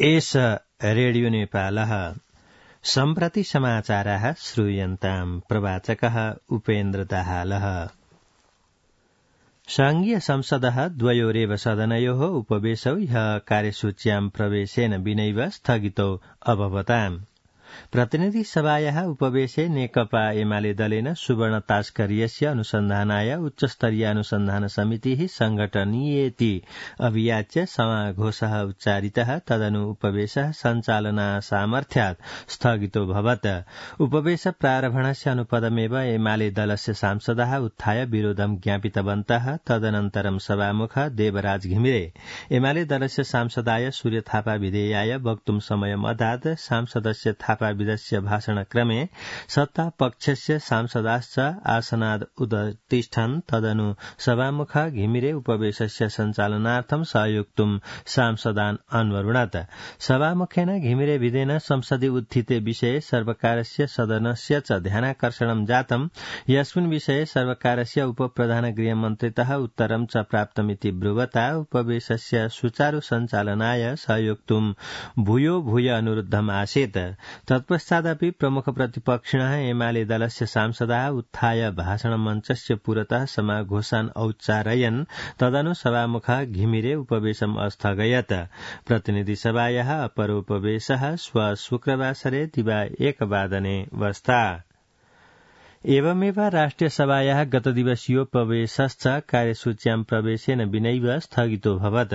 एष रेडियो नेपालः सम्प्रति समाचाराः श्रूयन्ताम् प्रवाचकः उपेन्द्र दाहालः। संघीय संसदः द्वयोरेव सदनयोः उपवेशौ ह्यः कार्यसूच्यां प्रवेशेन विनैव स्थगितौ अभवताम्। प्रतिनिधि सभायाः उपवेशे नेकपा एमाले दलेन सुवर्ण तास्कर्यस्य अनुसन्धानाय उच्चस्तरीय अनुसन्धान समितिः संघटनीयेति अभियाच्य समाघोषः उच्चारितः। तदनु उपवेशः सञ्चालनासामर्थ्यात् स्थगितोऽभवत्। उपवेश प्रारम्भणस्य अनुपदमेव एमाले दलस्य सांसदाः उत्थाय विरोधं ज्ञापितवन्तः। तदनन्तरं सभामुख देवराज घिमिरे एमाले दलस्य सांसदाय सूर्य थापा विधेयाय वक्तुं समयम् अदात्। सांसदस्य थापा विदस्य भाषणक्रमे सत्ता पक्षस्य सांसदाश्च आसनाद् उदतिष्ठन्। तदनु सभामुख घिमिरे उपवेशस्य सञ्चालनार्थं सहयोक्तुं सांसदान् अन्वरुणत्। सभामुखेन घिमिरे विधेन संसदि उत्थिते विषये सर्वकारस्य सदनस्य च ध्यानाकर्षणं जातम्। यस्मिन् विषये सर्वकारस्य उपप्रधान गृहमन्त्रितः उत्तरं च प्राप्तमिति ब्रुवता उपवेशस्य सुचारु सञ्चालनाय सहयोक्तुं भूयो भूय अनुरुद्धम् आसीत्। तत्पश्चादपि प्रमुख प्रतिपक्षिणः एमाले दलस्य सांसदाः उत्थाय भाषणमञ्चस्य पुरतः समाघोषान् औच्चारयन्। तदनु सभामुखः घिमिरे उपवेशम् अस्थगयत्। प्रतिनिधि सभायाः अपरोपवेशः श्व शुक्रवासरे दिवा 1 वादने वस्ता। एवमेव राष्ट्रियसभायाः गतदिवसीयोपवेशश्च कार्यसूच्यां प्रवेशेन विनैव स्थगितोऽभवत्।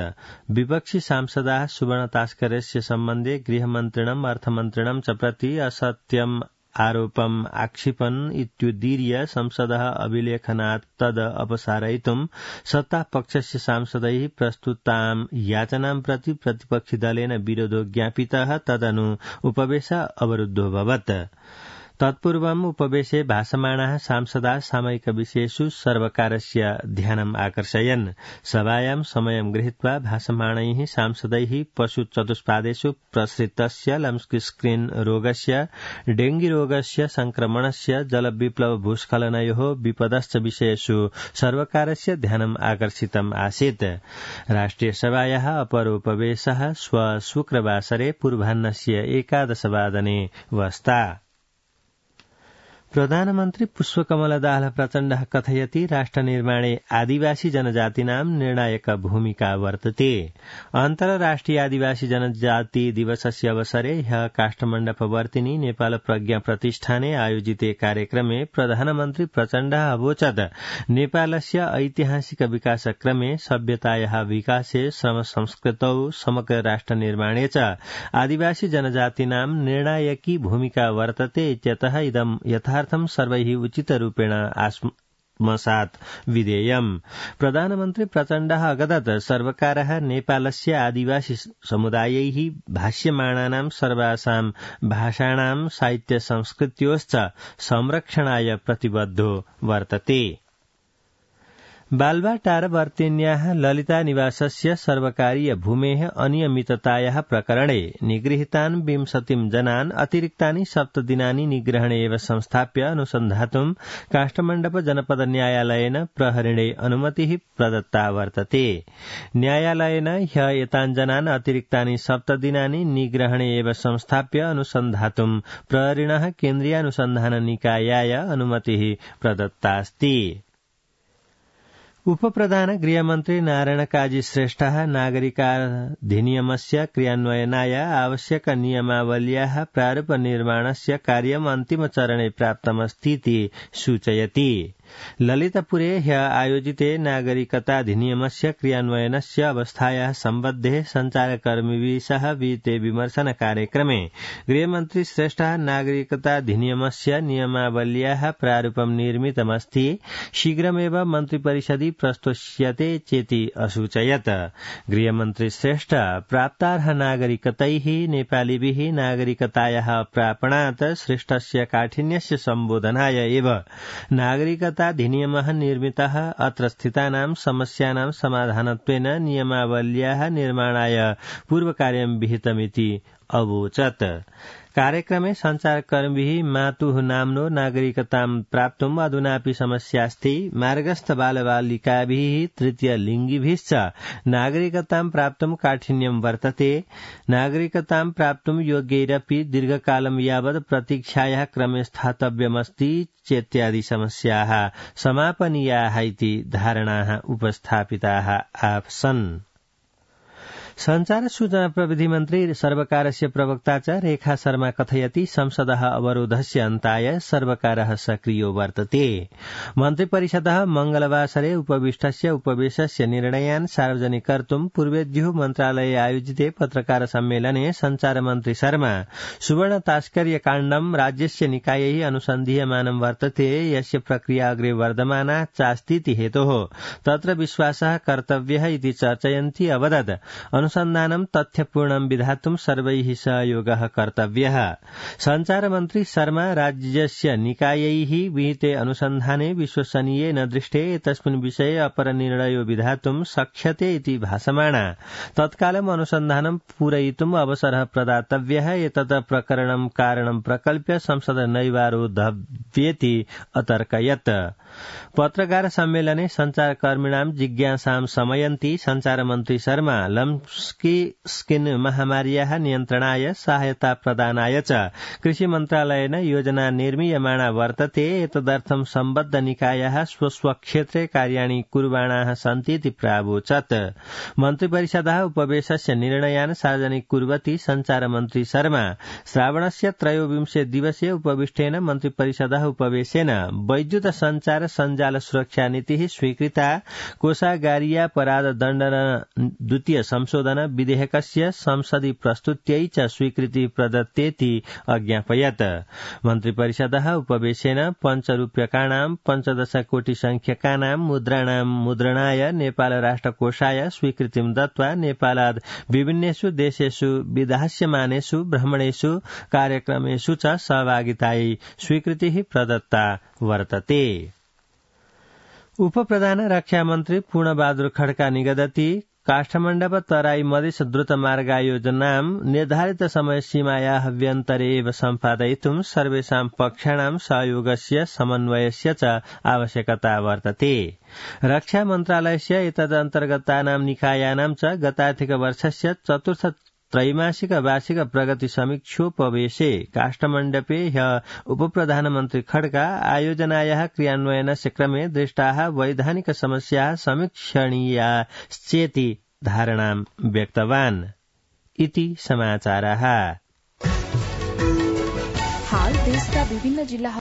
विपक्षी सांसदाः सुवर्ण तास्कर्यस्य सम्बन्धे गृहमन्त्रिणम् अर्थमन्त्रिणं च प्रति असत्यम् आरोपम् आक्षिपन् इत्युदीर्य संसदः अभिलेखनात् तद् अपसारयितुं सत्तापक्षस्य सांसदैः प्रस्तुतां याचनां प्रति प्रतिपक्षिदलेन विरोधो ज्ञापितः। तदनु उपवेश अवरुद्धोऽभवत्। तत्पूर्वम् उपवेशे भाषमाणाः सांसदाः सामयिकविषयेषु सर्वकारस्य ध्यानम् आकर्षयन्। सभायां समयं गृहीत्वा भाषमाणैः सांसदैः पशुचतुष्पादेषु प्रसृतस्य लम्पस्किन् रोगस्य, डेंगीरोगस्य संक्रमणस्य, जलविप्लव भूस्खलनयोः विपदश्च विषयेषु सर्वकारस्य ध्यानम् आकर्षितम् आसीत्। राष्ट्रियसभायाः अपरोपवेशः श्व शुक्रवासरे पूर्वाह्नस्य 11 वादने वस्ता। प्रधानमन्त्री पुष्पकमल दाहाल प्रचण्डः कथयति राष्ट्रनिर्माणे आदिवासी जनजातीनां निर्णायक भूमिका वर्तते। अन्तर्राष्ट्रिय आदिवासी जनजाति दिवसस्य अवसरे ह्यः काष्ठमण्डपवर्तिनि नेपाल प्रज्ञा प्रतिष्ठाने आयोजिते कार्यक्रमे प्रधानमन्त्री प्रचण्डः अवोचत् नेपालस्य ऐतिहासिक विकासक्रमे सभ्यतायाः विकासे श्रम संस्कृतौ समग्र राष्ट्रनिर्माणे च आदिवासी जनजातीनां निर्णायकी भूमिका वर्तते इत्यतः इदं यथार्थं सर्वैः उचितरूपेण आत्मसात् विधेयम्। प्रधानमन्त्री प्रचण्डः अगदत् सर्वकारः नेपालस्य आदिवासी समुदायैः भाष्यमाणानां सर्वासां भाषाणां साहित्य संस्कृत्योश्च संरक्षणाय प्रतिबद्धो वर्तते। बाल्वाटारवर्तिन्याः ललिता निवासस्य सर्वकारीय भूमेः अनियमिततायाः प्रकरणे निगृहीतान् 20 जनान् अतिरिक्तानि 7 दिनानि निग्रहणे एव संस्थाप्य अनुसन्धातुं काष्ठमण्डप जनपद न्यायालयेन प्रहरिणे अनुमतिः प्रदत्ता वर्तते। न्यायालयेन ह्यः एतान् जनान् अतिरिक्तानि 7 दिनानि निग्रहणे एव संस्थाप्य अनुसन्धातुं प्रहरिणः केन्द्रीयानुसन्धान निकायाय अनुमतिः प्रदत्तास्ति। उपप्रधान गृहमन्त्री नारायण काजी श्रेष्ठः नागरिकाधिनियमस्य क्रियान्वयनाय आवश्यक नियमावल्याः प्रारूप निर्माणस्य कार्यम् अन्तिमचरणे प्राप्तमस्तीति सूचयति। ललितपुरे ह्यः आयोजिते नागरिकताधिनियमस्य क्रियान्वयनस्य अवस्थायाः सम्बद्धे सञ्चारकर्मिभिः सह विहिते विमर्शन कार्यक्रमे गृहमन्त्री श्रेष्ठः नागरिकताधिनियमस्य नियमावल्याः प्रारूपं निर्मितमस्ति, शीघ्रमेव मन्त्रिपरिषदि प्रस्तोष्यते चेति असूचयत्। गृहमन्त्री श्रेष्ठ प्राप्तार्ह नागरिकतैः नेपालीभिः नागरिकतायाः प्रापणात् श्रेष्ठस्य काठिन्यस्य सम्बोधनाय एव नागरिकताधिनियमः निर्मितः। अत्र स्थितानां समस्यानां समाधानत्वेन नियमावल्याः निर्माणाय पूर्वकार्यं विहितमिति अवोचत्। कार्यक्रमे सञ्चारकर्मीभिः मातुः नाम्नो नागरिकतां प्राप्तुम् अधुनापि समस्यास्ति मार्गस्थ बालबालिकाभिः तृतीयलिङ्गिभिश्च नागरिकतां प्राप्तुम् काठिन्यं वर्तते नागरिकतां प्राप्तुम् योग्यैरपि दीर्घकालं यावत् प्रतीक्षायाः क्रमे स्थातव्यमस्ति चेत्यादि समस्याः समापनीयाः इति धारणाः उपस्थापिताः आसन्। संचार सूचना प्रविधि मन्त्री सर्वकारस्य प्रवक्ता च रेखा शर्मा कथयति संसदः अवरोधस्य अन्ताय सर्वकारः सक्रियो वर्तते मन्त्रिपरिषदः मंगलवासरे उपविष्टस्य उपवेशस्य निर्णयान् सार्वजनिक कर्तुं पूर्वेद्युः मन्त्रालये आयोजिते पत्रकार सम्मेलने संचार मन्त्री शर्मा सुवर्ण तास्कर्य काण्डं राज्यस्य निकायैः अनुसन्धीयमानं वर्तते यस्य प्रक्रिया अग्रे वर्धमाना चास्तीति हेतोः तत्र विश्वासः कर्तव्यः इति चर्चयन्ती अवदत् अनुसन्धानं तथ्यपूर्णं विधातुं सर्वैः सहयोगः कर्तव्यः। संचार मन्त्री शर्मा राज्यस्य निकायैः विहिते अनुसन्धाने विश्वसनीये न दृष्टे तस्मिन् विषये अपरनिर्णयो विधातुं शक्यते इति भासमाना तत्कालम् अनुसन्धानं पूरयितुम् अवसरः प्रदातव्यः एतत् प्रकरणं कारणं प्रकल्प्य संसद नैवारोधव्येति अतर्कयत्। पत्रकार सम्मेलने संचारकर्मिणां जिज्ञासां समयन्ती संचार मन्त्री शर्मा लम्स्की स्किन महामार्याः नियन्त्रणाय सहायता प्रदानाय च कृषि मन्त्रालयेन योजना निर्मीयमाणा वर्तते एतदर्थं सम्बद्ध निकायाः स्वस्वक्षेत्रे कार्याणि कुर्वाणाः सन्तीति प्रावोचत्। मन्त्रिपरिषदः उपवेशस्य निर्णयान् सार्वजनिक कुर्वती संचार मन्त्री शर्मा श्रावणस्य 23 दिवसीय उपविष्टेन मन्त्रिपरिषदः उपवेशेन वैद्युत संचार सञ्जाल सुरक्षा नीतिः स्वीकृता कोषागारीयापराध दण्डन द्वितीय संशोधन विधेयकस्य संसदि प्रस्तुत्यै च स्वीकृति प्रदत्तेति अज्ञापयत्। मन्त्रिपरिषदः उपवेशेन पञ्चरूप्यकाणां 15 कोटि संख्यकानां मुद्राणां मुद्रणाय नेपाल राष्ट्रकोषाय स्वीकृतिं दत्त्वा नेपालाद् विभिन्नेषु देशेषु विधास्यमानेषु भ्रमणेषु कार्यक्रमेषु च सहभागितायै स्वीकृतिः प्रदत्ता वर्तते। उपप्रधान रक्षा मन्त्री पूर्णबहादुर खड्का निगदति काष्ठमण्डप तराई मधेस द्रुत मार्गयोजनां निर्धारित समयसीमायाः व्यन्तरे एव सम्पादयितुं सर्वेषां पक्षाणां सहयोगस्य समन्वयस्य च आवश्यकता वर्तते। रक्षा मन्त्रालयस्य एतदन्तर्गतानां निकायानां च गतार्थिक वर्षस्य चतुर्थ त्रैमासिक वार्षिक प्रगति समीक्षोपवेशे काष्ठमण्डपे ह्यः उपप्रधानमन्त्री खड्का आयोजनायाः क्रियान्वयनस्य क्रमे दृष्टाः वैधानिक समस्याः समीक्षणीयाश्चेति धारणां व्यक्तवान् इति समाचाराः। हाल देशका विभिन्न जिल्ला